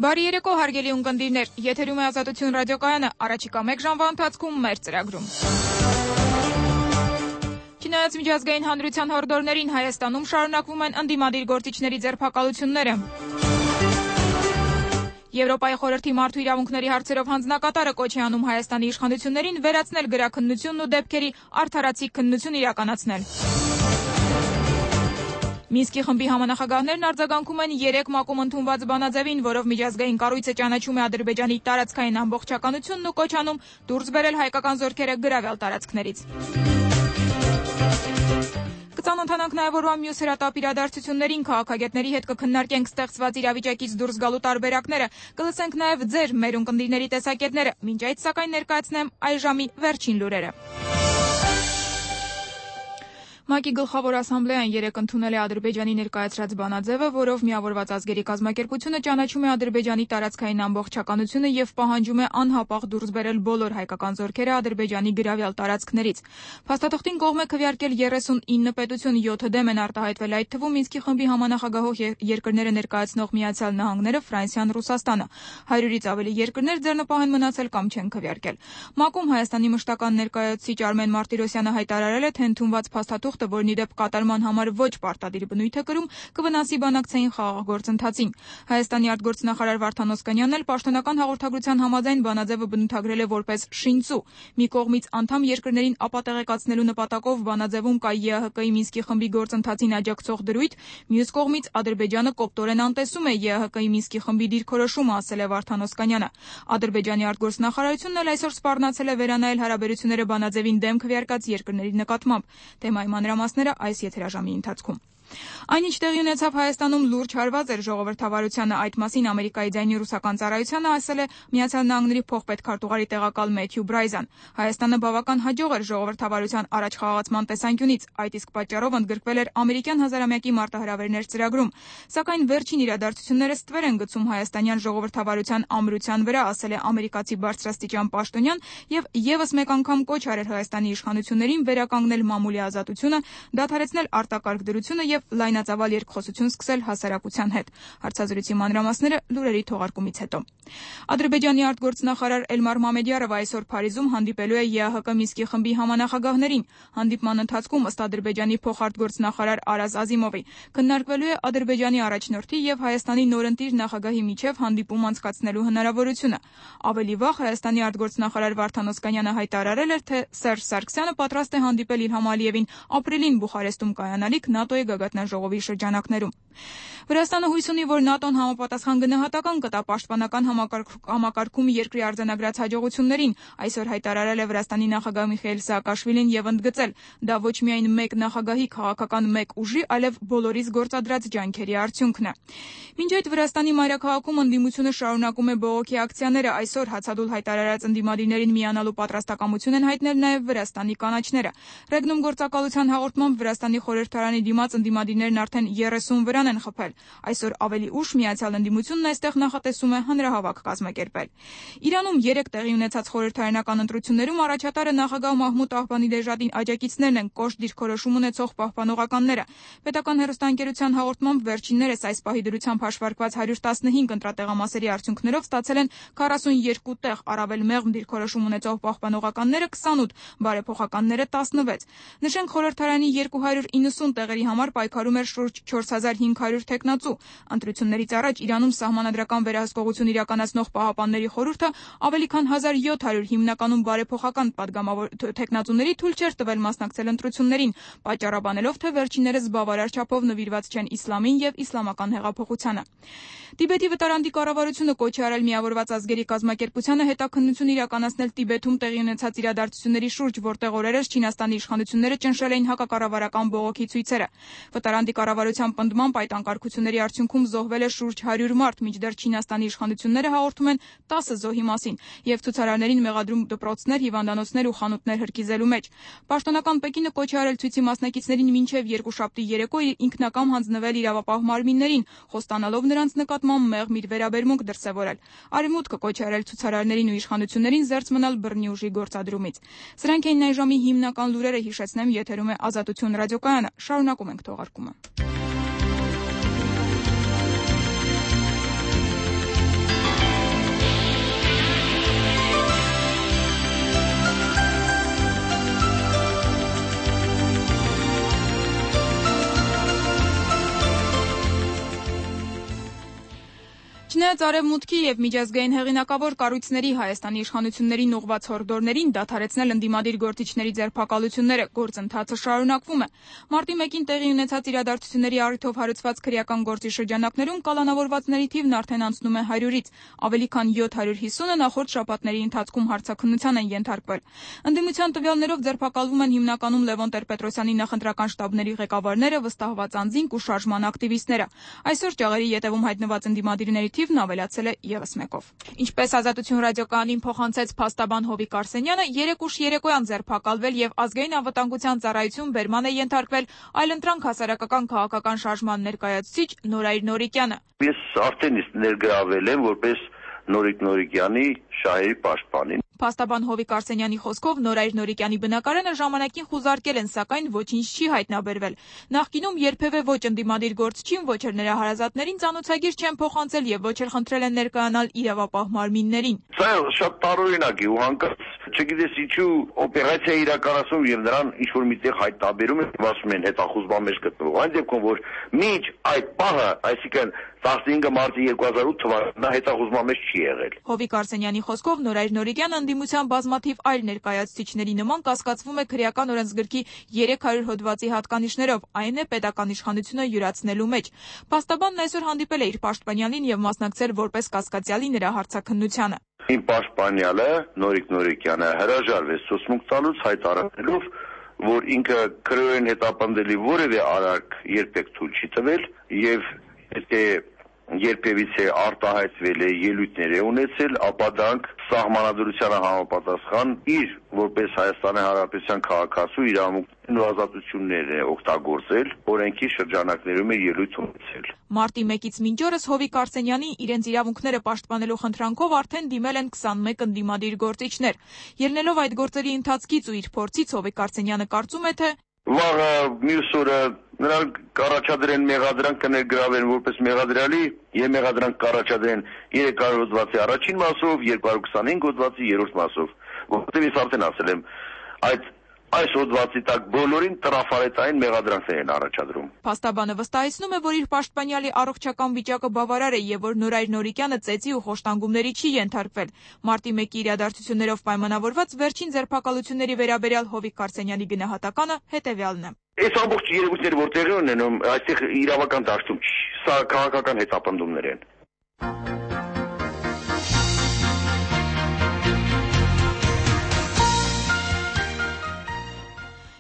Բարի երեկո, հարգելի ունկնդիրներ, եթերում է Ազատություն ռադիոկայանը, առաջիկա 1 ժամվա ընթացքում մեր ծրագրում։ Չնայած միջազգային հանրության հորդորներին Հայաստանում շարունակվում են ընդդիմադիր գործիչների ձերբակալությունները։ Եվրոպայի խորհրդի մարդու իրավունքների հարցերով հանձնակատարը կոչ է անում Հայաստանի իշխանություններին վերացնել գրաքննությունն ու դեպքերի արդարացիկ քննություն իրականացնել։ Մինսկի խմբի համանախագահներն արձագանքում են 3 ՄԱԿ-ում ընդունված բանաձևին, որով միջազգային կառույցը ճանաչում է Ադրբեջանի տարածքային ամբողջականությունն ու կոչ անում դուրս բերել հայկական զորքերը գրավյալ տարածքներից։ Կծանոթանանք նաև օրվա մյուս հրատապ իրադարձություններին, քաղաքագետների հետ կքննարկենք ստեղծված իրավիճակից դուրս գալու տարբերակները, կլսենք նաև ձեր, մեր ունկնդիրների տեսակետները, մինչ այդ սակայն ներկայացնեմ այժմի վերջին լուրերը։ ՄԱԿ-ի գլխավոր ասամբլեան երեկ ընդունել է Ադրբեջանի ներկայացրած բանաձևը, որով միավորված ազգերի կազմակերպությունը ճանաչում է Ադրբեջանի տարածքային ամբողջականությունը եւ պահանջում է անհապաղ դուրս բերել բոլոր հայկական զորքերը Ադրբեջանի գրավյալ տարածքներից։ Փաստաթղթին կողմ է քվեարկել 39 պետություն, 7 դեմ են արտահայտվել, այդ թվում Մինսկի խմբի համանախագահող երկրները ներկայացնող Միացյալ Նահանգները, Ֆրանսիան, Ռուսաստանը։ 100-ից ավելի երկրներ ձեռնպահ են մնացել կամ չեն քվեարկել։ ՄԱԿ-ում Հայաստանի մշտական ներկայացուցիչ Արմեն Մարտիրոսյանը հայտարարել է, թե ընդունված փաստաթուղթը, որն իդեպ կատարման համար ոչ պարտադիր բնույթ է կրում, կվնասի բանակցային խաղաղ գործընթացին։ Հայաստանի արտգործնախարար Վարդան Օսկանյանն էլ պաշտոնական հաղորդագրության համաձայն բանաձևը բնութագրել է որպես շինծու։ Մի կողմից անդամ երկրներին ապատեղեկացնելու նպատակով բանաձևում կա ԵԱՀԿ-ի Մինսկի խմբի գործընթացին աջակցող դրույթ, մյուս կողմից Ադրբեջանը կոպտորեն անտեսում է ԵԱՀԿ-ի Մինսկի խմբի դիրքորոշումը, ասել է Վարդան Օսկանյանը։ Ադրբեջանի արտգործնախարարությունն էլ այսօր սպառնացել է վերանայել հարաբերությունները բանաձևին դեմ քվեարկած երկրների նկատմամբ։ Թեմայի մանրամասները այս եթերաժամի ընթացքում։ Այնինչ տեղի ունեցավ Հայաստանում լուրջ հարված էր ժողովրդավարությանը, այդ մասին Ամերիկայի ձայնի ռուսական ծառայությանը ասել է Միացյալ Նահանգների փոխպետքարտուղարի տեղակալ Մեթյու Բրայզան։ Հայաստանը բավական հաջող էր ժողովրդավարության առաջխաղացման տեսանկյունից, այդ իսկ պատճառով ընդգրկվել էր ամերիկյան հազարամյակի մարտահրավերներ ծրագրում։ Սակայն վերջին իրադարձությունները ստվեր են գցում հայաստանյան ժողովրդավարության ամրության վրա, ասել է ամերիկացի բարձրաստիճան պաշտոնյան եւ եւս մեկ անգամ կոչ արել Հայաստանի իշխանություններին վերականգնել մամուլի ազատությունը, դադարեցնել արտակարգ դրությունը եւ լայնածավալ երկխոսություն սկսել հասարակության հետ։ Հարցազրույցի մանրամասները լուրերի թողարկումից հետո։ Ադրբեջանի արտգործնախարար Էլմար Մամեդյարովը այսօր Փարիզում հանդիպելու է ԵԱՀԿ Մինսկի խմբի համանախագահներին։ Հանդիպման ընթացքում ըստ Ադրբեջանի փոխարտգործնախարար Արազ Ազիմովի քննարկվելու է Ադրբեջանի առաջնորդի եւ Հայաստանի նորընտիր նախագահի միջև հանդիպում անցկացնելու հնարավորությունը։ Ավելի վաղ Հայաստանի արտգործնախարար Վարդան Օսկանյանը հայտարարել էր, թե Սերժ Սարգսյանը պատրաստ է հանդիպել Իլհամ Ալիևին ապրիլին Բուխարեստում կայանալիք ՆԱՏՕ-ի գագաթնաժողովի շրջանակներում։ Վրաստանը հույս ունի, որ ՆԱՏՕ-ն համապատասխան գնահատական կտա պաշտպանական համակարգում երկրի արձանագրած հաջողություններին, այսօր հայտարարել է Վրաստանի նախագահ Միխայիլ Սաակաշվիլին եւ ընդգծել, դա ոչ միայն մեկ նախագահի քաղաքական մեկ ուժի, այլև բոլորիս գործադրած ջանքերի արդյունքն է։ Մինչ այդ Վրաստանի մայրաքաղաքում ընդդիմությունը շարունակում է բողոքի ակցիաները, այսօր հացադուլ հայտարարած ընդդիմադիրներին միանալու պատրաստակամություն են հայտնել նաեւ Վրաստանի կանաչները։ Ռեգնում գործակալության հաղորդմամբ Վրաստանի խորհրդարանի դիմաց ընդդիմադիրներն արդեն 30 վրան են խփել։ Այսօր ավելի ուշ Միացյալ ընդդիմությունն այստեղ նախատեսում է հանրահավաք կազմակերպել։ Իրանում 3 տեղի ունեցած խորհրդարանական ընտրություններում առաջատարը նախագահ Մահմուդ Ահվանիդեժադին աջակիցներն են կոշտ դիրքորոշում ունեցող պահպանողականները։ Պետական հեռուստաընկերության հաղորդմամբ վերջիններս այս պահի դրությամբ հաշվարկված 115 ընտրատեղամասերի արդյունքներով ստացել են 42 տեղ, առավել մեղմ դիրքորոշում ունեցող պահպանողականները 28, բարեփոխականները 16։ Նշենք, խորհրդարանի 290 տեղերի համար պայքարում էր շուրջ 4500 թեկնածու։ Ընտրություններից առաջ Իրանում սահմանադրական վերահսկողություն իրականացնող պահապանների խորհուրդը ավելի քան 1700 հիմնականում բարեփոխական պատգամավոր թեկնածուների թույլ չէր տվել մասնակցել ընտրություններին, պատճառաբանելով, թե վերջիններս բավարար չափով նվիրված չեն իսլամին եւ իսլամական հեղափոխությանը։ Տիբետի վտարանդի կառավարությունը կոչ է արել Միավորված ազգերի կազմակերպությանը հետաքննություն իրականացնել Տիբետում տեղի ունեցած իրադարձությունների շուրջ, որտեղ օրերս Չինաստանի իշխանությունները ճնշել էին հակակառավարական բողոքի ցույցերը։ Վտարանդի կառավարության պնդմամբ այդ անկարգությունների արդյունքում զոհվել է շուրջ 100 մարդ, մինչդեռ Չինաստանի իշխանությունները հաղորդում են 10 զոհի մասին եւ ցուցարարներին մեղադրում դպրոցներ, հիվանդանոցներ ու խանութներ հրկիզելու մեջ։ Պաշտոնական Պեկինը կոչ է արել ցույցի մասնակիցներին մինչև երկուշաբթի երեկո ինքնակամ հանձնվել իրավապահ մարմիններին, խոստանալով նրանց նկատմամբ մեղմ իր վերաբերմունք դրսևորել։ Արևմուտքը կոչ է արել ցուցարարներին ու իշխանություններին զերծ մնալ բռնի ուժի գործադրումից։ Սրանք էին այժմի հիմնական լուրերը, հիշեցնեմ, եթերում է Ազատություն ռադիոկայանը։ Շարունակում ենք թողարկումը։ Չինաց արևմուտքի եւ միջազգային հեղինակավոր կառույցների Հայաստանի իշխանություններին ուղղված հորդորներին դադարեցնել ընդդիմադիր գործիչների ձերբակալությունները գործընթացը շարունակվում է։ Մարտի 1-ին տեղի ունեցած իրադարձությունների առիթով հարուցված քրեական գործի շրջանակներում կալանավորվածների թիվն արդեն անցնում է 100-ից, ավելի քան 750-ը նախորդ շաբաթների ընթացքում հարցաքննության են ենթարկվել։ Ընդդիմության տվյալներով ձերբակալվում են հիմնականում Լևոն Տեր-Պետրոսյանի նախընտրական շտաբների ղեկավարները, վստահված անձինք ու շարժման ակտիվիստները։ Այսօր ճաղերի ետևում հայտնված ընդդիմադիրների թիվն ավելացել է ևս մեկով։ Ինչպես Ազատություն ռադիոկայանին փոխանցեց փաստաբան Հովիկ Արսենյանը, 3 ուշ երեկոյան ձերբակալվել եւ ազգային անվտանգության ծառայություն բերման է ենթարկվել այլընտրանք հասարակական քաղաքական շարժման ներկայացուցիչ Նորայր Նորիկյանը։ Ես արդեն ներգրավել եմ որպես Նորիկ Նորիկյանի շահերի պաշտպանին։ Փաստաբան Հովիկ Արսենյանի խոսքով Նորայր Նորիկյանի բնակարանը ժամանակին խուզարկել են, սակայն ոչինչ չի հայտնաբերվել։ Նախկինում երբևէ ոչ ընդդիմադիր գործչին, ոչ էլ նրա հարազատներին ծանոթագիր չեն փոխանցել եւ ոչ էլ խնդրել են ներկայանալ իրավապահ մարմիններին։ Սա շատ տարօրինակ է ու հանկարծ չգիտես ինչու օպերացիա իրականացում եւ նրան ինչ որ միտեղ հայտնաբերում են, ասում են հետախուզման մեջ գտնվող։ Այն դեպքում որ մինչ այդ պահը, այսինքն 15 մարտի 2008 թվականին նա հետախուզման մեջ չի եղել։ Հովիկ Արսենյանի խոսքով Նորայր Նորիկյանը ընդդիմության բազմաթիվ այլ ներկայացուցիչների նման կասկածվում է քրեական օրենսգրքի 300 հոդվածի հատկանիշներով, այն է պետական իշխանությունը յուրացնելու մեջ։ Փաստաբանն այսօր հանդիպել է իր պաշտպանյալին եւ մասնակցել որպես կասկածյալի նրա հարցաքննությանը։ Իմ պաշտպանյալը Նորիկ Նորիկյանը հրաժարվեց ցուցմունք տալուց հայտարարելով, որ ինքը քրեորեն հետապնդելի որևէ արարք երբեք թույլ չի տվել եւ եթե երբևիցե արտահայտվել է ելույթներ է ունեցել, ապա դրանք սահմանադրությանը համապատասխան իր որպես Հայաստանի Հանրապետության քաղաքացու իրավունքներն ու ազատություններն է օգտագործել, օրենքի շրջանակներում է ելույթ ունեցել։ Մարտի 1-ից մինչ օրս Հովիկ Արսենյանի իրենց իրավունքները պաշտպանելու խնդրանքով արդեն դիմել են 21 ընդդիմադիր գործիչներ։ Ելնելով այդ գործերի ընթացքից ու իր փորձից Հովիկ Արսենյանը կարծում է, թե վաղը մյուս օրը նրանք կառաջադրեն մեղադրանք կներգրավեն որպես մեղադրյալի եւ մեղադրանք կառաջադրեն 300 հոդվածի առաջին մասով, 225 հոդվածի երրորդ մասով, որտեղ ես արդեն ասել եմ, այս հոդվածի տակ բոլորին տրաֆարետային մեղադրանքներ են առաջադրում։ Փաստաբանը վստահեցնում է, որ իր պաշտպանյալի առողջական վիճակը բավարար է եւ որ Նորայր Նորիկյանը ծեծի ու խոշտանգումների չի ենթարկվել։ Մարտի 1-ի իրադարձություններով պայմանավորված վերջին ձերբակալությունների վերաբերյալ Հովիկ Արսենյանի գնահատականը հետեւյալն է։ Այս ամբողջ երևույթները որ տեղի ունենում, այստեղ իրավական դաշտում չի, սա քաղաքական հետապնդումներ են։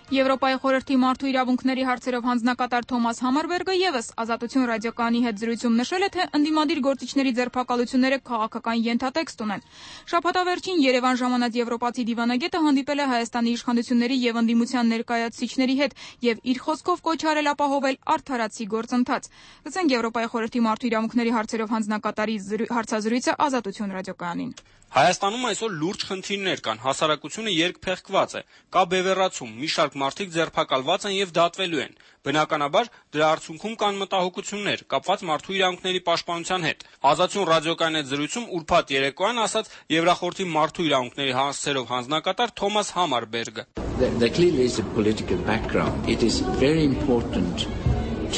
Եվրոպայի խորհրդի մարդու իրավունքների հարցերով հանձնակատար Թոմաս Համարբերգը ևս Ազատություն ռադիոկայանի հետ զրույցում նշել է, թե ընդդիմադիր գործիչների ձերբակալությունները քաղաքական ենթատեքստ ունեն։ Շաբաթավերջին Երևան ժամանած եվրոպացի դիվանագետը հանդիպել է Հայաստանի իշխանությունների եւ ընդդիմության ներկայացուցիչների հետ եւ իր խոսքով կոչ արել ապահովել արդարացի գործընթաց։ Լսենք Եվրոպայի խորհրդի մարդու իրավունքների հարցերով հանձնակատարի հարցազրույցը Ազատություն ռադիոկայանին։ Հայաստանում այսօր լուրջ խնդիրներ կան, հասարակությունը երկփեղկված է, կա բևեռացում, մի շարք մարդիկ ձերբակալված են եւ դատվելու են։ Բնականաբար դրա արդյունքում կան մտահոգություններ, կապված մարդու իրավունքների պաշտպանության հետ։ Ազատություն ռադիոկայանի հետ զրույցում ուրբաթ երեկոյան ասաց Եվրախորհրդի մարդու իրավունքների հարցերով հանձնակատար Թոմաս Համարբերգը։ There clearly is a political background. It is very important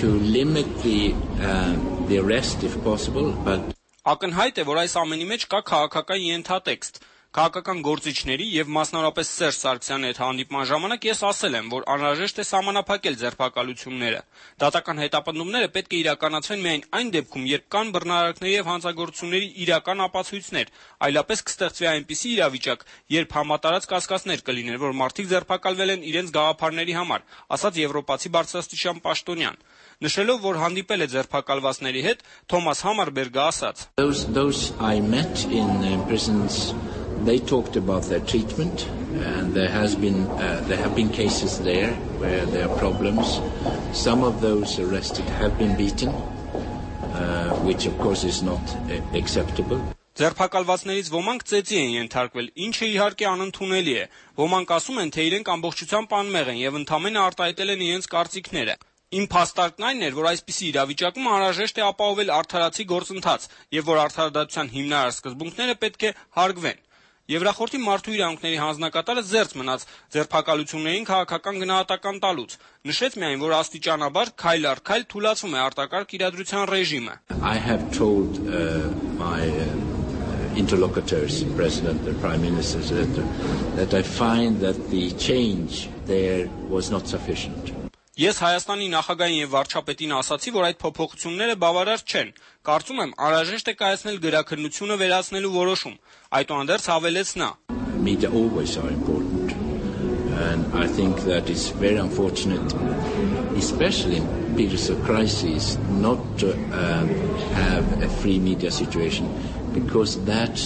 to limit the arrest if possible, but Ակնհայտ է, որ այս ամենի մեջ կա քաղաքական ենթատեքստ։ Քաղաքական գործիչների եւ մասնավորապես Սերժ Սարգսյանի հետ հանդիպման ժամանակ ես ասել եմ, որ անհրաժեշտ է սահմանափակել ձերբակալությունները։ Դատական հետապնդումները պետք է իրականացվեն միայն այն դեպքում, երբ կան բռնարարքների եւ հանցագործությունների իրական ապացույցներ, այլապես կստեղծվի այնպիսի իրավիճակ, երբ համատարած կասկածներ կլինեն, որ մարդիկ ձերբակալվել են իրենց գաղափարների համար, ասաց եվրոպացի բարձրաստիճան պաշտոնյան։ Նշելով, որ հանդիպել է ձերբակալվածների հետ, Թոմաս Համարբերգը ասաց. Those I met in prisons, they talked about their treatment, and there have been cases there where there are problems. Some of those arrested have been beaten, which of course is not acceptable. Ձերբակալվածներից ոմանք ծեծի են ենթարկվել, ինչը իհարկե անընդունելի է։ Ոմանք ասում են, թե իրենք ամբողջությամբ անմեղ են եւ ընդամենը արտահայտել են իրենց կարծիքները։ Իմ փաստարկն այն էր, որ այսպիսի իրավիճակում անհրաժեշտ է ապահովել արդարացի գործընթաց եւ որ արդարադատության հիմնարար սկզբունքները պետք է հարգվեն։ Եվրախորհրդի մարդու իրավունքների հանձնակատարը զերծ մնաց ձերբակալություններին քաղաքական գնահատական տալուց, նշեց միայն, որ աստիճանաբար քայլ առ քայլ թուլացում է արտակարգ իրադրության ռեժիմը. I have told my interlocutors, the President, the Prime Minister, that I find that the change there was not sufficient. Ես Հայաստանի նախագահին եւ վարչապետին ասացի, որ այդ փոփոխությունները բավարար չեն։ Կարծում եմ, անհրաժեշտ է կայացնել գրաքննությունը վերացնելու որոշում։ Այդուհանդերձ հավելեց նա. Media always are important, and I think that it's very unfortunate, especially in periods of crisis, not to have a free media situation, because that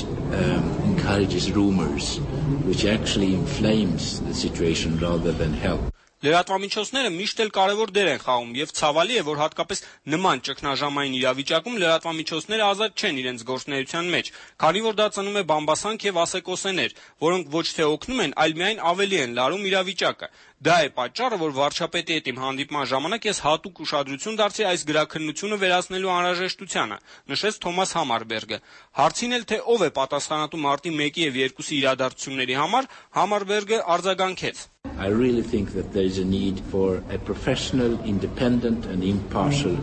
encourages rumors, which actually inflames the situation rather than help. Լրատվամիջոցները միշտ էլ կարևոր դեր են խաղում եւ ցավալի է, որ հատկապես նման ճգնաժամային իրավիճակում լրատվամիջոցները ազատ չեն իրենց գործունեության մեջ, քանի որ դա ծնում է բամբասանք եւ ասեկոսեներ, որոնք ոչ թե օգնում են, այլ միայն ավելի են լարում իրավիճակը։ Դա է պատճառը, որ վարչապետի հետ իմ հանդիպման ժամանակ ես հատուկ ուշադրություն դարձրի այս գրաքննությունը վերացնելու անհրաժեշտությանը, նշեց Թոմաս Համարբերգը։ Հարցին էլ թե ով է պատասխանատու մարտի 1-ի եւ 2-ի իրադարձությունների համար, Համարբերգը արձագանքեց. I really think that there is a need for a professional, independent and impartial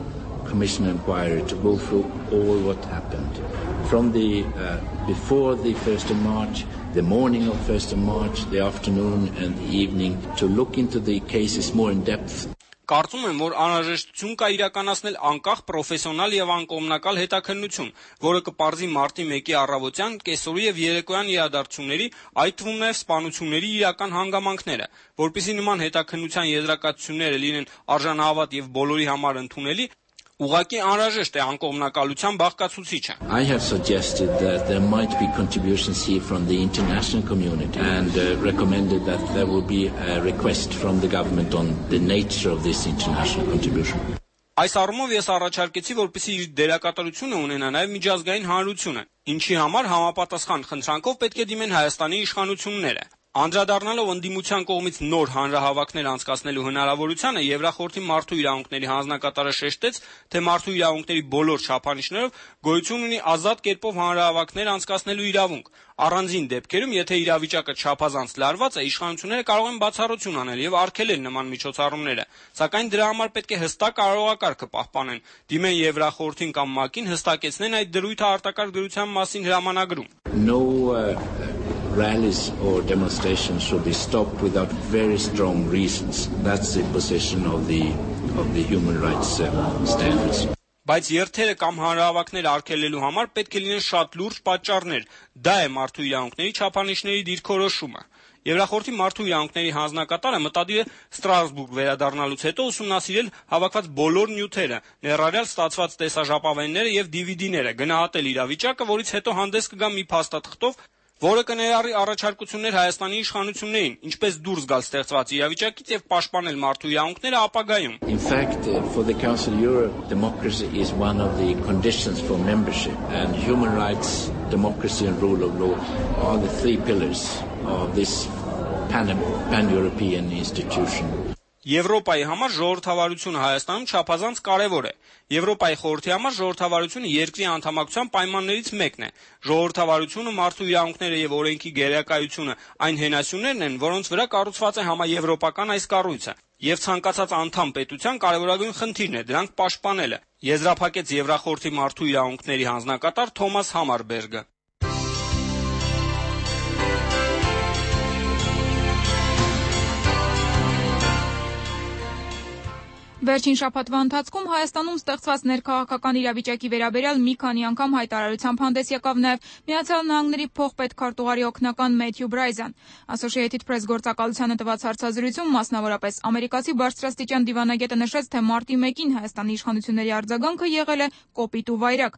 commission inquiry to go through all what happened. From the before the 1st of March, the morning of 1st of March, the afternoon and the evening, to look into the cases more in depth. Կարծում եմ, որ անհրաժեշտություն կա իրականացնել անկախ, պրոֆեսիոնալ եւ անկողմնակալ հետաքննություն, որը կպարզի մարտի 1-ի առավոտյան, կեսօրի եւ երեկոյան իրադարձությունների, այդ թվում նաեւ սպանությունների իրական հանգամանքները, որպեսզի նման հետաքննության եզրակացությունները լինեն արժանահավատ եւ բոլորի համար ընդունելի, ուղղակի անհրաժեշտ է անկողմնակալության բաղկացուցիչը. I have suggested that there might be contributions here from the international community and recommended that there will be a request from the government on the nature of this international contribution. Այս առումով ես առաջարկեցի, որպեսզի իր դերակատարությունը ունենա նաև միջազգային հանրությունը, ինչի համար համապատասխան խնդրանքով պետք է դիմեն Հայաստանի իշխանությունները։ Անդրադառնալով ընդդիմության կողմից նոր հանրահավաքներ անցկացնելու հնարավորությանը, Եվրախորհրդի մարդու իրավունքների հանձնակատարը շեշտեց, թե մարդու իրավունքների բոլոր չափանիշներով գոյություն ունի ազատ կերպով հանրահավաքներ անցկացնելու իրավունք։ Առանձին դեպքերում, եթե իրավիճակը չափազանց լարված է, իշխանությունները կարող են բացառություն անել եւ արգելել նման միջոցառումները, սակայն դրա համար պետք է հստակ կարողակարգը պահպանեն, դիմեն Եվրախորհրդին կամ ՄԱԿ-ին հստակեցնեն այդ դրույթը արտակարգ դրության մասին հրամանագրում։ Rallies or demonstrations should be stopped without very strong reasons. That's the position of the human rights standards. Բայց երթերը կամ հանրահավաքները արգելելու համար պետք է լինեն շատ լուրջ պատճառներ։ Դա է մարդու իրավունքների չափանիշների դիրքորոշումը։ Եվրախորհրդի մարդու իրավունքների հանձնակատարը մտադիր է Ստրասբուրգ վերադառնալուց հետո ուսումնասիրել հավաքված բոլոր նյութերը, ներառյալ ստացված տեսաժապավենները եւ DVD-ները, գնահատել իրավիճակը, որից հետո հանդես կգա մի փաստաթղթով, որը կներառի առաջարկություններ Հայաստանի իշխանություններին, ինչպես դուրս գալ ստեղծված իրավիճակից եւ պաշտպանել մարդու իրավունքները ապագայում։ In fact, for the Council of Europe, democracy is one of the conditions for membership, and human rights, democracy and rule of law are the three pillars of this pan-European institution. Եվրոպայի համար ժողովրդավարությունը Հայաստանում չափազանց կարևոր է։ Եվրոպայի խորհրդի համար ժողովրդավարությունը երկրի անդամակցության պայմաններից մեկն է։ Ժողովրդավարությունը, մարդու իրավունքները եւ օրենքի գերակայությունը այն հենասյուներն են, որոնց վրա կառուցված է համաեվրոպական այս կառույցը։ Եվ ցանկացած անդամ պետության կարևորագույն խնդիրն է դրանք պաշտպանելը։ Եզրափակեց Եվրախորհրդի մարդու իրավունքների հանձնակատար Թոմաս Համարբերգը։ Վերջին շաբաթվա ընթացքում Հայաստանում ստեղծված ներքաղաքական իրավիճակի վերաբերյալ մի քանի անգամ հայտարարությամբ հանդես եկավ նաև Միացյալ Նահանգների փոխպետքարտուղարի օգնական Մեթյու Բրայզան։ Associated Press գործակալությանը տված հարցազրույցում մասնավորապես ամերիկացի բարձրաստիճան դիվանագետը նշեց, թե մարտի 1-ին Հայաստանի իշխանությունների արձագանքը եղել է կոպիտ ու վայրագ։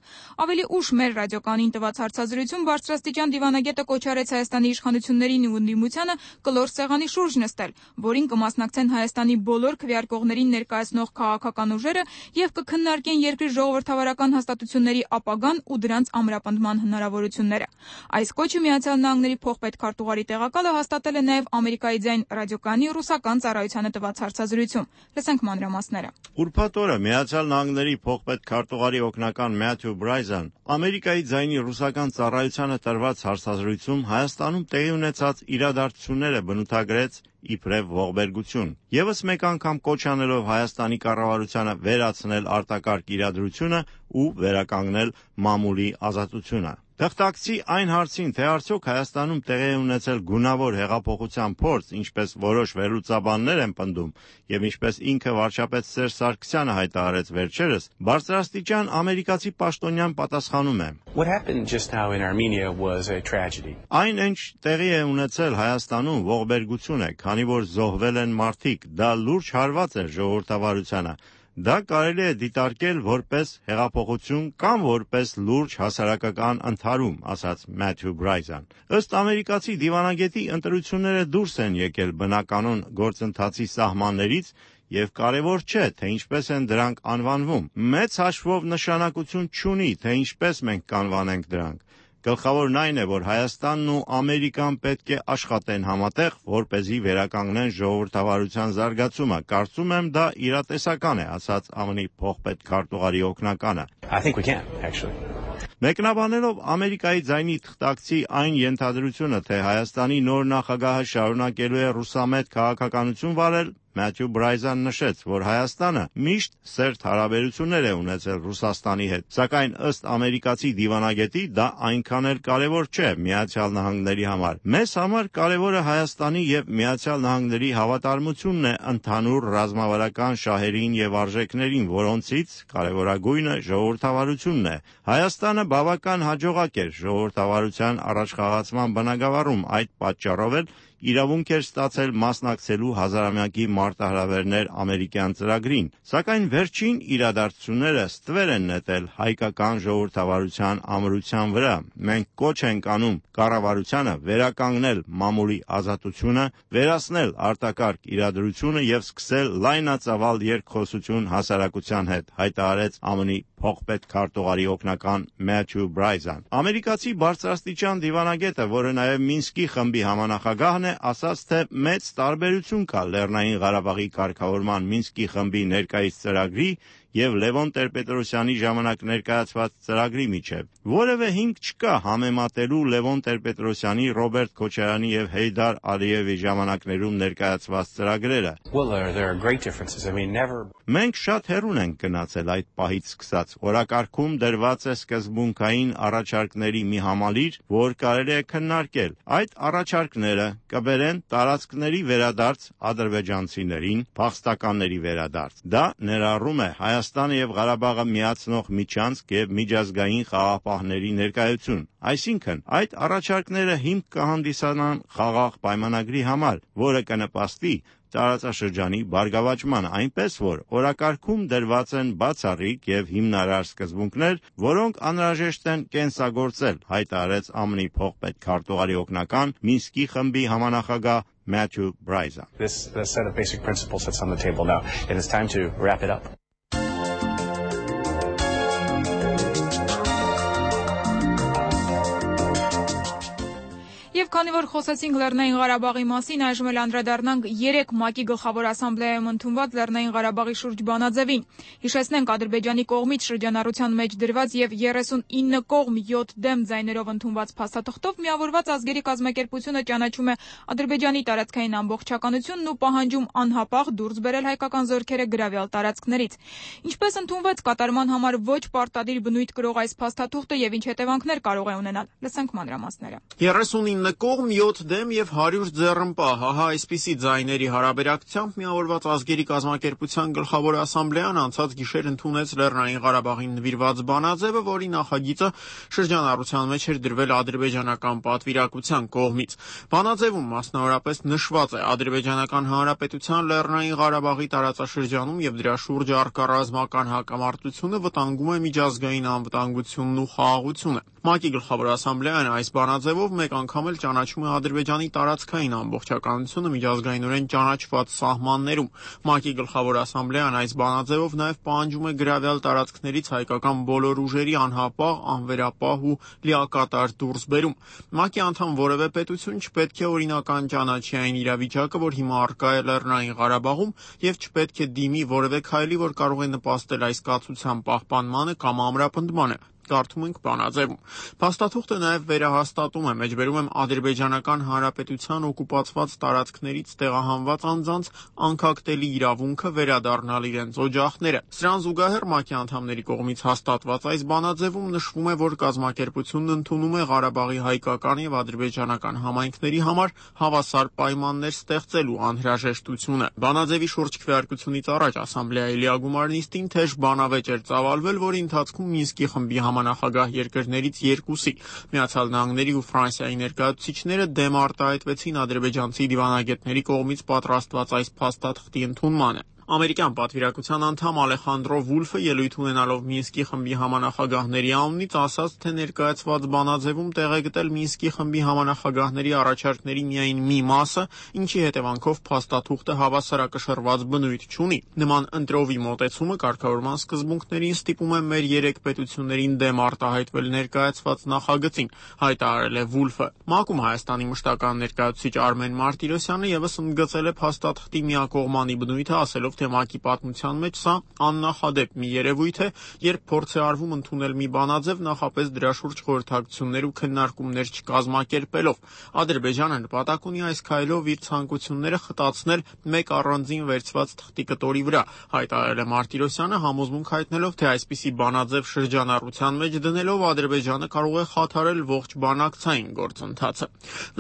Ավելի ուշ մեր ռադիոկանին տված հարցազրույցում բարձրաստիճան դիվանագետը կոչ արեց Հայաստանի իշխանություններին ու ընդդիմությանը կլոր սեղանի շուրջ նստել, որին կմասնակցեն Հայաստանի բոլոր քվեարկողներին ներկայացնող կազմող քաղաքական ուժերը եւ կքննարկեն երկրի ժողովրդավարական հաստատությունների ապագան ու դրանց ամրապնդման հնարավորությունները։ Այս կոչը Միացյալ Նահանգների փոխպետքարտուղարի տեղակալը հաստատել է նաեւ Ամերիկայի ձայն ռադիոկայանի ռուսական ծառայությանը տված հարցազրույցում։ Լսենք մանրամասները։ Ուրբաթ օրը Միացյալ Նահանգների փոխպետքարտուղարի օգնական Մաթյու Բրայզան Ամերիկայի ձայնի ռուսական ծառայությանը տրված հարցազրույցում Հայաստանում տեղի ունեցած իրադարձությունները բնութագրեց իբրև ողբերգություն։ Եվս մեկ անգամ կոչ անելով Հայաստանի կառավարությանը վերացնել արտակարգ իրադրությունը ու վերականգնել մամուլի ազատությունը։ Թղթակցի այն հարցին, թե արդյոք Հայաստանում տեղի է ունեցել գունավոր հեղափոխության փորձ, ինչպես որոշ վերլուծաբաններ են պնդում, եւ ինչպես ինքը վարչապետ Սերժ Սարգսյանը հայտարարեց վերջերս, բարձրաստիճան ամերիկացի պաշտոնյան պատասխանում է. Այն, ինչ տեղի է ունեցել Հայաստանում, ողբերգություն է, քանի որ զոհվել են մարդիկ, դա լուրջ հարված էր ժողովրդավարությանը։ Դա կարելի է դիտարկել որպես հեղափոխություն կամ որպես լուրջ հասարակական ընդհարում, ասաց Մաթյու Բրայզան։ Ըստ ամերիկացի դիվանագետի ընտրությունները դուրս են եկել բնականոն գործընթացի սահմաններից եւ կարեւոր չէ, թե ինչպես են դրանք անվանվում։ Մեծ հաշվով նշանակություն չունի, թե ինչպես մենք կանվանենք դրանք։ Գլխավորն այն է, որ Հայաստանն ու Ամերիկան պետք է աշխատեն համատեղ, որպեսզի վերականգնեն ժողովրդավարության զարգացումը։ Կարծում եմ դա իրատեսական է, ասաց ԱՄՆ փոխպետքարտուղարի օգնականը։ Մեկնաբանելով Ամերիկայի ձայնի թղթակցի այն ենթադրությունը, թե Հայաստանի նոր նախագահը շարունակելու է ռուսամետ քաղաքականություն վարել, Մաթյու Բրայզան նշեց, որ Հայաստանը միշտ սերտ հարաբերություններ է ունեցել Ռուսաստանի հետ, սակայն ըստ ամերիկացի դիվանագետի դա այնքան էլ կարևոր չէ Միացյալ Նահանգների համար։ Մեզ համար կարևորը Հայաստանի եւ Միացյալ Նահանգների հավատարմությունն է ընդհանուր ռազմավարական շահերին եւ արժեքներին, որոնցից կարևորագույնը ժողովրդավարությունն է։ Հայաստանը բավական հաջողակ էր ժողովրդավարության առաջխաղացման բնագավառում, այդ պատճառով էլ իրավունք էր ստացել մասնակցելու հազարամյակի մարտահրավերներ ամերիկյան ծրագրին, սակայն վերջին իրադարձությունները ստվեր են նետել հայկական ժողովրդավարության ամրության վրա։ Մենք կոչ ենք անում կառավարությանը վերականգնել մամուլի ազատությունը, վերացնել արտակարգ իրադրությունը եւ սկսել լայնածավալ երկխոսություն հասարակության հետ, հայտարարեց ԱՄՆ փոխպետքարտուղարի օգնական Մաթյու Բրայզան։ Ամերիկացի բարձրաստիճան դիվանագետը, որը նաեւ Մինսկի խմբի համանախագահն է, ասաց, թե մեծ տարբերություն կա Լեռնային Ղարաբաղի կարգավորման Մինսկի խմբի ներկայիս ծրագրի եւ Լևոն Տեր-Պետրոսյանի ժամանակ ներկայացված ծրագրի միջև։ Որևէ հիմք չկա համեմատելու Լևոն Տեր-Պետրոսյանի, Ռոբերտ Քոչարյանի եւ Հեյդար Ալիևի ժամանակներում ներկայացված ծրագրերը։ Մենք շատ հեռուն ենք գնացել այդ պահից սկսած։ Օրակարգում դրված է սկզբունքային առաջարկների մի համալիր, որ կարելի է քննարկել։ Այդ առաջարկները կբերեն տարածքների վերադարձ ադրբեջանցիներին, փախստականների վերադարձ։ Դա ներառում է Հայաստանը եւ Ղարաբաղը միացնող միջանցք եւ միջազգային խաղաղապահների ներկայություն։ Այսինքն, այդ առաջարկները հիմք կհանդիսանան խաղաղ պայմանագրի համար, որը կնպաստի տարածաշրջանի բարգավաճման, այնպես որ օրակարգում դրված են բացառիկ եւ հիմնարար սկզբունքներ, որոնք անհրաժեշտ են կենսագործել, հայտարարեց ԱՄՆ փոխպետքարտուղարի օգնական Մինսկի խմբի համանախագահ Մաթյու Բրայզան։ This set of basic principles that's on the table now. It is time to wrap it up. Եվ քանի որ խոսեցինք Լեռնային Ղարաբաղի մասին, այժմ էլ անդրադառնանք 3 ՄԱԿ-ի գլխավոր ասամբլեայում ընդունված Լեռնային Ղարաբաղի շուրջ բանաձևին։ Հիշեցնենք, Ադրբեջանի կողմից շրջանառության մեջ դրված եւ 39 կողմ 7 դեմ ձայներով ընդունված փաստաթղթով միավորված ազգերի կազմակերպությունը ճանաչում է Ադրբեջանի տարածքային ամբողջականությունն ու պահանջում անհապաղ դուրս բերել հայկական զորքերը գրավյալ տարածքներից։ Ինչպես ընդունվեց կատարման համար ոչ պարտադիր բնույթ կրող այս փաստաթուղթը եւ ինչ հետևանքներ կարող է ունենալ։ Լսենք մանրամասները։ 39 կողմ 7 դեմ եւ 100 ձեռնպահ, հահա այսպիսի ձայների հարաբերակցությամբ միավորված ազգերի կազմակերպության գլխավոր ասամբլեան անցած գիշեր ընդունեց Լեռնային Ղարաբաղին նվիրված բանաձևը, որի նախագիծը շրջանառության մեջ էր դրվել ադրբեջանական պատվիրակության կողմից։ Բանաձևում մասնավորապես նշված է Ադրբեջանական Հանրապետության Լեռնային Ղարաբաղի տարածաշրջանում եւ դրա շուրջը առկա ռազմական հակամարտությունը վտանգում է միջազգային անվտանգությունն ու խաղաղությունը։ ՄԱԿ-ի գլխավոր ասամբլեան այս բանաձևով մեկ անգամ էլ ճանաչում է Ադրբեջանի տարածքային ամբողջականությունը միջազգայինորեն ճանաչված սահմաններում։ ՄԱԿ-ի գլխավոր ասամբլեան այս բանաձևով նաև պահանջում է գրավյալ տարածքներից հայկական բոլոր ուժերի անհապաղ, անվերապահ ու լիակատար դուրսբերում։ ՄԱԿ-ի անդամ որևէ պետություն չպետք է օրինական ճանաչի այն իրավիճակը, որ հիմա առկա է Լեռնային Ղարաբաղում, եւ չպետք է դիմի որևէ քայլի, որ կարող է նպաստել այս կացության պահպանմանը կամ ամրապնդմանը։ Կարդում ենք բանաձևում։ Փաստաթուղթը նաև վերահաստատում է, մեջբերում եմ Ադրբեջանական Հանրապետության օկուպացված տարածքներից տեղահանված անձանց անկախտելի իրավունքը վերադառնալ իրենց օջախները։ Սրան զուգահեռ ՄԱԿ-ի անդամների կողմից հաստատված այս բանաձևում նշվում է, որ կազմակերպությունն ընդունում է Ղարաբաղի հայկական եւ ադրբեջանական համայնքների համար հավասար պայմաններ ստեղծելու անհրաժեշտությունը։ Բանաձևի շուրջ քվեարկությունից առաջ ասամբլեայի լիագումար նիստին թեժ բանավեճ էր ծավալվել, որի ընթացքում Մինսկի խմբի համանախագահ երկրներից երկուսի՝ Միացյալ Նահանգների ու Ֆրանսիայի ներկայացուցիչները դեմ արտահայտվեցին ադրբեջանցի դիվանագետների կողմից պատրաստված այս փաստաթղթի ընդունմանը։ Ամերիկյան պատվիրակության անդամ Ալեխանդրո Վուլֆը ելույթ ունենալով Մինսկի խմբի համանախագահների անունից ասաց, թե ներկայացված բանաձևում տեղ է գտել Մինսկի խմբի համանախագահների առաջարկների միայն մի մասը, ինչի հետևանքով փաստաթուղթը հավասարակշռված բնույթ չունի։ Նման ընտրովի մոտեցումը կարգավորման սկզբունքներին ստիպում է մեր երեք պետություններին դեմ արտահայտվել ներկայացված նախագծին, հայտարարել է Վուլֆը։ ՄԱԿ-ում Հայաստանի մշտական ներկայացուցիչ Արմեն Մարտիրոսյանը ևս ընդգծել է փաստաթղթի միակողմանի բնույթը, ասելով, թե ՄԱԿ-ի պատմության մեջ սա աննախադեպ մի երևույթ է, երբ փորձ է արվում ընդունել մի բանաձև նախապես դրա շուրջ խորհրդակցություններ ու քննարկումներ չկազմակերպելով։ Ադրբեջանը նպատակ ունի այս քայլով իր ցանկությունները խտացնել մեկ առանձին վերցված թղթի կտորի վրա, հայտարարել է Մարտիրոսյանը, համոզմունք հայտնելով, թե այսպիսի բանաձև շրջանառության մեջ դնելով Ադրբեջանը կարող է խաթարել ողջ բանակցային գործընթացը։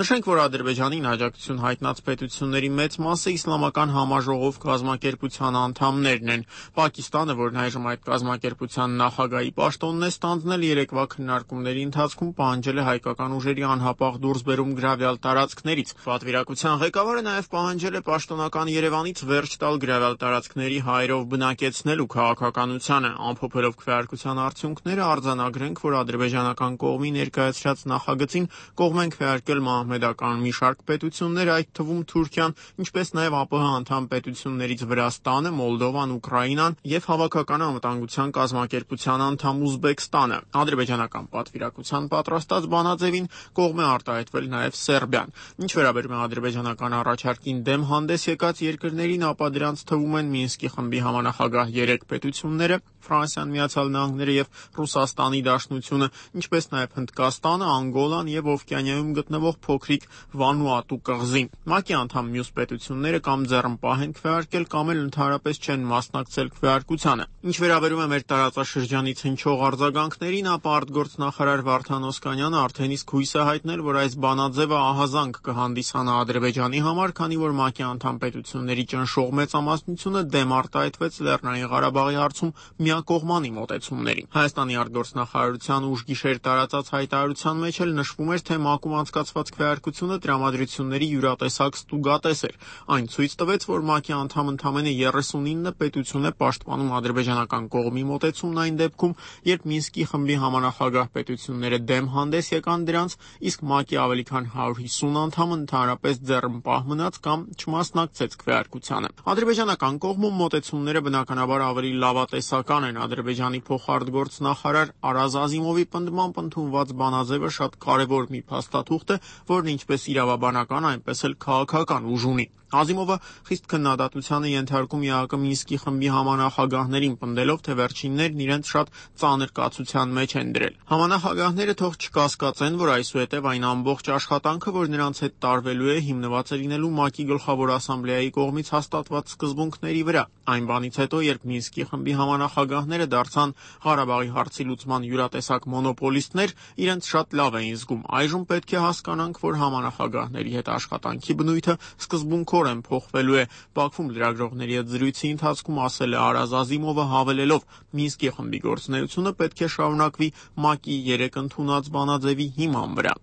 Նշենք, որ Ադրբեջանին աջակցություն հայտնած պետությունների մեծ մասը իսլամական համաժողով կազմակերպության անդամներն են։ Պակիստանը, որն այժմ այդ կազմակերպության նախագահի պաշտոնն է ստանձնել, երեկվա քննարկումների ընթացքում պահանջել է հայկական ուժերի անհապաղ դուրսբերում գրավյալ տարածքներից։ Պատվիրակության ղեկավարը նաև պահանջել է պաշտոնական Երևանից վերջ տալ գրավյալ տարածքների հայերով բնակեցնելու քաղաքականությանը, ամփոփելով քվեարկության արդյունքները արձանագրենք, որ ադրբեջանական կողմի ներկայացրած նախագծին կողմ են քվեարկել մահմեդական մի շարք պետություններ, այդ թվում Թուրքիան, ինչպես նաև ԱՊՀ անդամ պետություններից Վրաստանը, Մոլդովան, Ուկրաինան եւ Հավաքական անվտանգության կազմակերպության անդամ Ուզբեկստանը։ Ադրբեջանական պատվիրակության պատրաստած բանաձևին կողմ է արտահայտվել նաև Սերբիան։ Ինչ վերաբերում է ադրբեջանական առաջարկին դեմ հանդես եկած երկրներին, ապա դրանց թվում են Մինսկի խմբի համանախագահ 3 պետությունները՝ Ֆրանսիան, Միացյալ Նահանգները եւ Ռուսաստանի Դաշնությունը, ինչպես նաև Հնդկաստանը, Անգոլան եւ Օվկիանիայում գտնվող փոքրիկ Վանուատու կղզին։ ՄԱԿ-ի անդամ մյուս պետությունները կամ ձեռնպահ են քվեարկել, կամ էլ ընդհանրապես չեն մասնակցել քվեարկությանը։ Ինչ վերաբերում է մեր տարածաշրջանից հնչող արձագանքներին, ապա արտգործնախարար Վարդան Օսկանյանը արդեն իսկ հույս է հայտնել, որ այս բանաձևը ահազանգ կհանդիսանա Ադրբեջանի համար, քանի որ ՄԱԿ-ի անդամ պետությունների ճնշող մեծամասնությունը դեմ արտահայտվեց Լեռնային Ղարաբաղի հարցում միակողմանի մոտեցումներին։ Հայաստանի արտգործնախարարության ուշգիշեր տարածած հայտարարության մեջ էլ նշվում էր, թե ՄԱԿ-ում անցկացված քվեարկությունը տրամադրությունների յուրատեսակ ստուգատես էր։ Այն ցույց տվեց, որ ՄԱԿ-ի անդամ ընդամենը 39 պետություն է պաշտպանում ադրբեջանական կողմի մոտեցումն այն դեպքում, երբ Մինսկի խմբի համանախագահ պետությունները դեմ հանդես եկան դրանց, իսկ ՄԱԿ-ի ավելի քան 150 անդամը ընդհանրապես ձեռնպահ մնաց կամ չմասնակցեց քվեարկությանը։ Ադրբեջանական կողմում մոտեցումները բնականաբար ավելի լավատեսական են։ Ադրբեջանի փոխարտգործնախարար Արազ Ազիմովի պնդմամբ ընդունված բանաձևը շատ կարևոր մի փաստաթուղթ է, որն ինչպես իրավաբանական, այնպես էլ քաղաքական ուժ ունի։ Ազիմովը խիստ քննադատության է ենթարկում ԵԱԿ Մինսկի խմբի համանախագահներին, պնդելով, թե վերջիններն իրենց շատ ծանր կացության մեջ են դրել։ Համանախագահները թող չկասկածեն, որ այսուհետև այն ամբողջ աշխատանքը, որ նրանց հետ տարվելու է, հիմնված է լինելու ՄԱԿ-ի գլխավոր ասամբլեայի կողմից հաստատված սկզբունքների վրա։ Այն բանից հետո, երբ Մինսկի խմբի համանախագահները դարձան Ղարաբաղի հարցի լուծման յուրատեսակ մոնոպոլիստներ, իրենց շատ լավ էին զգում։ Այժմ պետք է հասկանանք, որ համանախագահների հետ աշխատանքի բնույթը սկզբունքորեն փոխվելու է։ Բաքվում լրագրողների հետ զրույցի ընթացքում ասել է Արազ Ազիմովը, հավելելով. Մինսկի խմբի գործունեությունը պետք է շարունակվի ՄԱԿ-ի 3 ընդունած բանաձևի հիման վրա։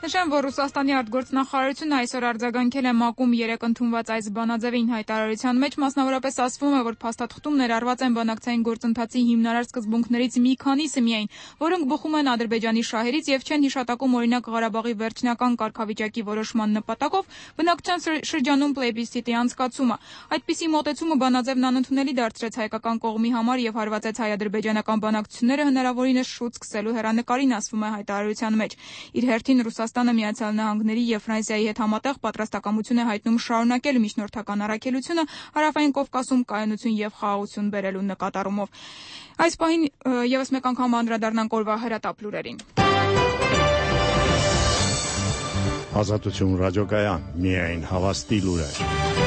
Նշեմ, որ Ռուսաստանի արտգործնախարարությունը այսօր արձագանքել է ՄԱԿ-ում երեկ ընդունված այս բանաձևին հայտարարության մեջ, մասնավորապես ասվում է, որ փաստաթղթում ներառված են բանակցային գործընթացի հիմնարար սկզբունքներից մի քանիսը միայն, որոնք բխում են Ադրբեջանի շահերից եւ չեն հիշատակում օրինակ Ղարաբաղի վերջնական կարգավիճակի որոշման նպատակով բնակչության շրջանում պլեբիսցիտի անցկացումը։ Այդպիսի մոտեցումը բանաձևն անընդունելի դարձրեց հայկական կողմի համար եւ հարվածեց հայ-ադրբեջանական բանակցությունները հնարավորինս շուտ սկսելու հեռանկարին, ասվում է հայտարարության մեջ։ Իր հերթին Ռուսաստանը Միացյալ Նահանգների եւ Ֆրանսիայի հետ համատեղ պատրաստակամություն է հայտնում շարունակել միջնորդական առաքելությունը Հարավային Կովկասում կայունություն եւ խաղաղություն բերելու նկատառումով։ Այս պահին եւս մեկ անգամ անդրադառնանք օրվա հրատապ լուրերին։ Ազատություն ռադիոկայան, միայն հավաստի լուրեր։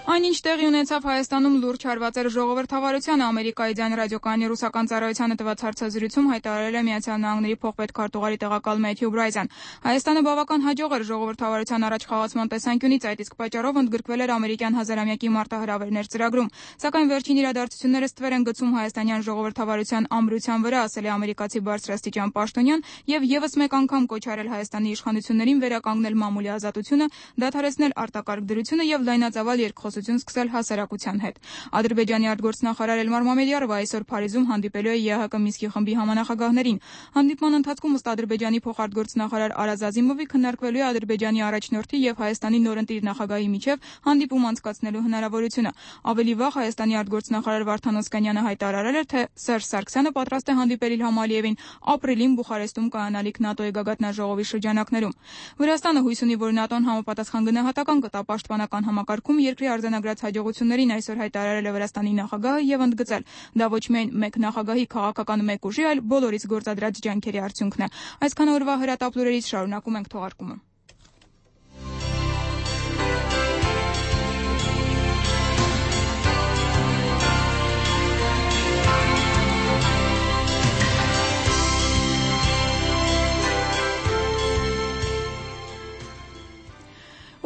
Այնինչ տեղի ունեցավ Հայաստանում լուրջ հարվածեր ժողովրդավարությանը, Ամերիկայի ձայն ռադիոկայանի ռուսական ծառայությանը տված հարցազրույցում հայտարարել է Միացյալ Նահանգների փոխպետքարտուղարի տեղակալ Մեթյու Բրայզան։ Հայաստանը բավական հաջող էր ժողովրդավարության առաջխաղացման տեսանկյունից, այդ իսկ պատճառով ընդգրկվել էր ամերիկյան հազարամյակի մարտահրավերներ ծրագրում։ Սակայն վերջին իրադարձությունները ստվեր են գցում հայաստանյան ժողովրդավարության ամրության վրա, ասել է ամերիկացի բարձրաստիճան պաշտոնյան եւ եւս մեկ անգամ կոչ արել Հայաստանի իշխանություններին վերականգնել մամուլի ազատությունը, դադարեցնել արտակարգ դրությունը եւ լայնածավալ երկխոսություն սկսել հասարակության հետ։ Ադրբեջանի արտգործնախարար Էլմար Մամեդյարովը այսօր Փարիզում հանդիպելու է ԵՀԿ Մինսկի խմբի համանախագահներին։ Հանդիպման ընթացքում ըստ Ադրբեջանի փոխարտգործնախարար Արազ Ազիմովի քննարկվելու է Ադրբեջանի առաջնորդի եւ Հայաստանի նորընտիր նախագահի միջև հանդիպում անցկացնելու հնարավորությունը։ Ավելի վաղ Հայաստանի արտգործնախարար Վարդան Օսկանյանը հայտարարել էր, թե Սերժ Սարգսյանը պատրաստ է հանդիպել Իլհամ Ալիևին ապրիլին Բուխարեստում կայանալիք ՆԱՏՕ-ի գագաթնաժողովի շրջանակներում։ Վրաստանը հույս ունի, որ ՆԱՏՕ-ն համապատասխան գնահատական կտա պաշտպանական համակարգում երկրի արձանագրած հաջողություններին, այսօր հայտարարել է Վրաստանի նախագահը եւ ընդգծել, դա ոչ միայն մեկ նախագահի քաղաքական մեկ ուժի, այլ բոլորից գործադրած ջանքերի արդյունքն է։ Այսքան օրվա հրատապ լուրերից շարունակում ենք թողարկումը։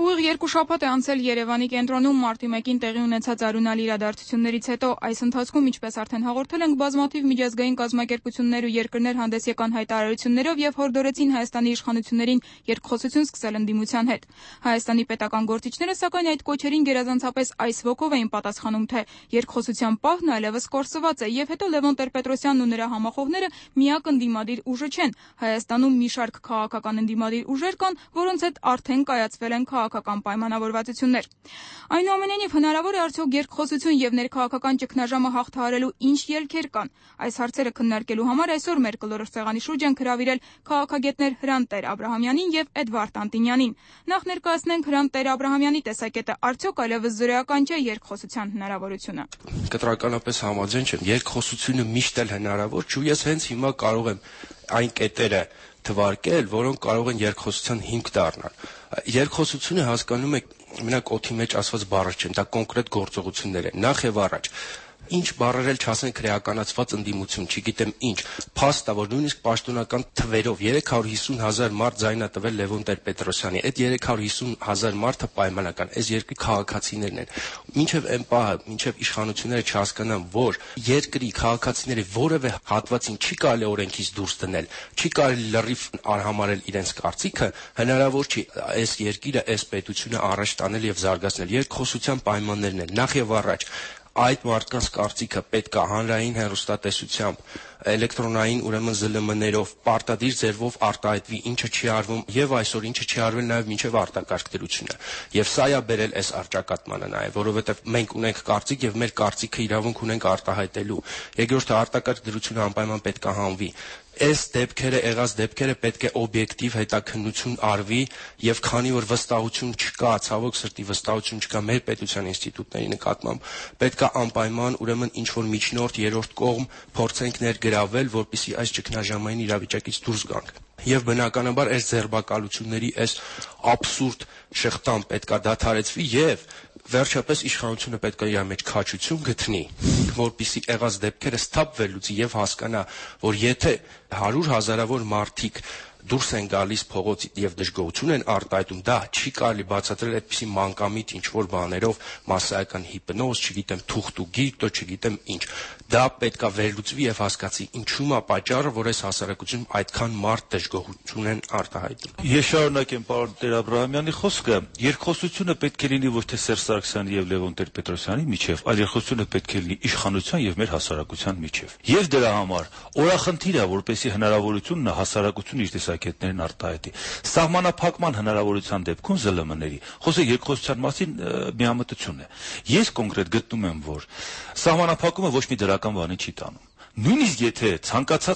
Ուղիղ երկու շաբաթ է անցել Երևանի կենտրոնում մարտի 1-ին տեղի ունեցած արյունալի իրադարձություններից հետո։ Այս ընթացքում, ինչպես արդեն հաղորդել ենք, բազմաթիվ միջազգային կազմակերպություններ ու երկրներ հանդես եկան հայտարարություններով եւ հորդորեցին Հայաստանի իշխանություններին երկխոսություն սկսել ընդդիմության հետ։ Հայաստանի պետական գործիչները, սակայն, այդ կոչերին գերազանցապես այս ոգով էին պատասխանում, թե երկխոսության պահն այլևս կորսված է եւ հետո Լևոն Տեր-Պետրոսյանն ու նրա համախոհները միակ ընդդիմադիր ուժը չեն։ Հայաստանում մի շարք քաղաքական ընդդիմադիր ուժեր կան, որոնց հետ արդեն կայացվել են քաղաքական պայմանավորվածություններ։ Այնուամենայնիվ, հնարավոր է արդյոք երկխոսություն եւ ներքաղաքական ճգնաժամը հաղթահարելու ինչ ելքեր կան։ Այս հարցերը քննարկելու համար այսօր մեր կլորոշ սեղանի շուրջ են հրավիրել քաղաքագետներ Հրանտ Տեր-Աբրահամյանին եւ Էդվարդ Անտինյանին։ Նախ ներկայացնենք Հրանտ Տեր-Աբրահամյանի տեսակետը, արդյոք այլևս զրոյական չէ երկխոսության հնարավորությունը։ Կտրականապես համաձայն չեմ, երկխոսությունը միշտ էլ հնարավոր չէ, ու ես հենց հիմա կարող եմ այն կետերը թվարկել, որոնք կարող են երկխոսության հիմք դառնալ։ Երկխոսությունը հասկանում եք, մենակ օդի մեջ ասված բառեր չեն, դա կոնկրետ գործողություններ են։ Նախ եւ առաջ ինչ բառեր էլ չասեն քրեականացված ընդդիմություն, չգիտեմ ինչ, փաստ է, որ նույնիսկ պաշտոնական թվերով 350,000 մարդ ձայնա տվել Լևոն Տեր-Պետրոսյանի։ Այդ 350,000 մարդը պայմանական, այս երկրի քաղաքացիներն են։ Մինչև այն պահը, մինչև իշխանությունները չհասկանան, որ երկրի քաղաքացիների որևէ հատվածին չի կարելի օրենքից դուրս դնել, չի կարելի լրիվ արհամարել իրենց կարծիքը, հնարավոր չի այս երկիրը, այս պետությունը առաջ տանել եւ զարգացնել։ Երկխոսության պայմաններն են նախ եւ առաջ այդ մարդկանց կարծիքը պետք է հանրային հեռուստատեսությամբ, էլեկտրոնային ուրեմն ԶԼՄ-ներով, պարտադիր ձևով արտահայտվի, ինչը չի արվում եւ այսօր ինչը չի արվել նաեւ մինչեւ արտակարգ դրությունը։ Եվ սա է բերել այս առճակատմանը նաեւ, որովհետեւ մենք ունենք կարծիք եւ մեր կարծիքը իրավունք ունենք արտահայտելու։ Երկրորդը արտակարգ դրությունը անպայման պետք է հանվի։ Այս դեպքերը, եղած դեպքերը պետք է օբյեկտիվ հետաքննություն արվի եւ քանի որ վստահություն չկա, ցավոք սրտի վստահություն չկա մեր պետության ինստիտուտների նկատմամբ, պետք է անպայման ուրեմն ինչ որ միջնորդ երրորդ կողմ փորձենք ներգրավել, որպեսզի այս ճգնաժամային իրավիճակից դուրս գանք։ Եվ բնականաբար այս ձերբակալությունների այս աբսուրդ շղթան պետք է դադարեցվի եւ վերջապես իշխանությունը պետք է իր մեջ քաջություն գտնի, որպեսզի եղած դեպքերը սթափվելուց եւ հասկանա, որ եթե 100,000-ավոր մարդիկ դուրս են գալիս փողոց եւ դժգոհություն են արտահայտում, դա չի կարելի բացատրել այդպիսի մանկամիտ ինչ որ բաներով, մասսայական հիպնոզ, չգիտեմ, թուղթ ու գիրտո, չգիտեմ ինչ։ Դա պետքա վերլուծվի եւ հասկացի ինչու՞ է պատճառը, որ այս հասարակությունում այդքան մարդ դժգոհություն են արտահայտում։ Ես շարունակեմ պարոն Տեր-Աբրահամյանի խոսքը, երկխոսությունը պետք է լինի ոչ թե Սերժ Սարգսյանի եւ Լևոն Տեր-Պետրոսյանի միջեւ, այլ երկխոսությունը պետք է լինի իշխանության եւ մեր հասարակության միջեւ։ Եվ դրա համար օրախնդիր է, որպեսզի հնարավորությունն է հասարակությունը իր տեսակետներն արտահայտի։ Սահմանափակման հնարավորության դեպքում ԶԼՄ-ների խոսքը երկխոսության մասին միամտություն է։ Ես կոնկրետ գտնում եմ, որ սահմանափակումը ոչ մի դրական բանի չի տանում։ Նույնիսկ եթե ցանկացած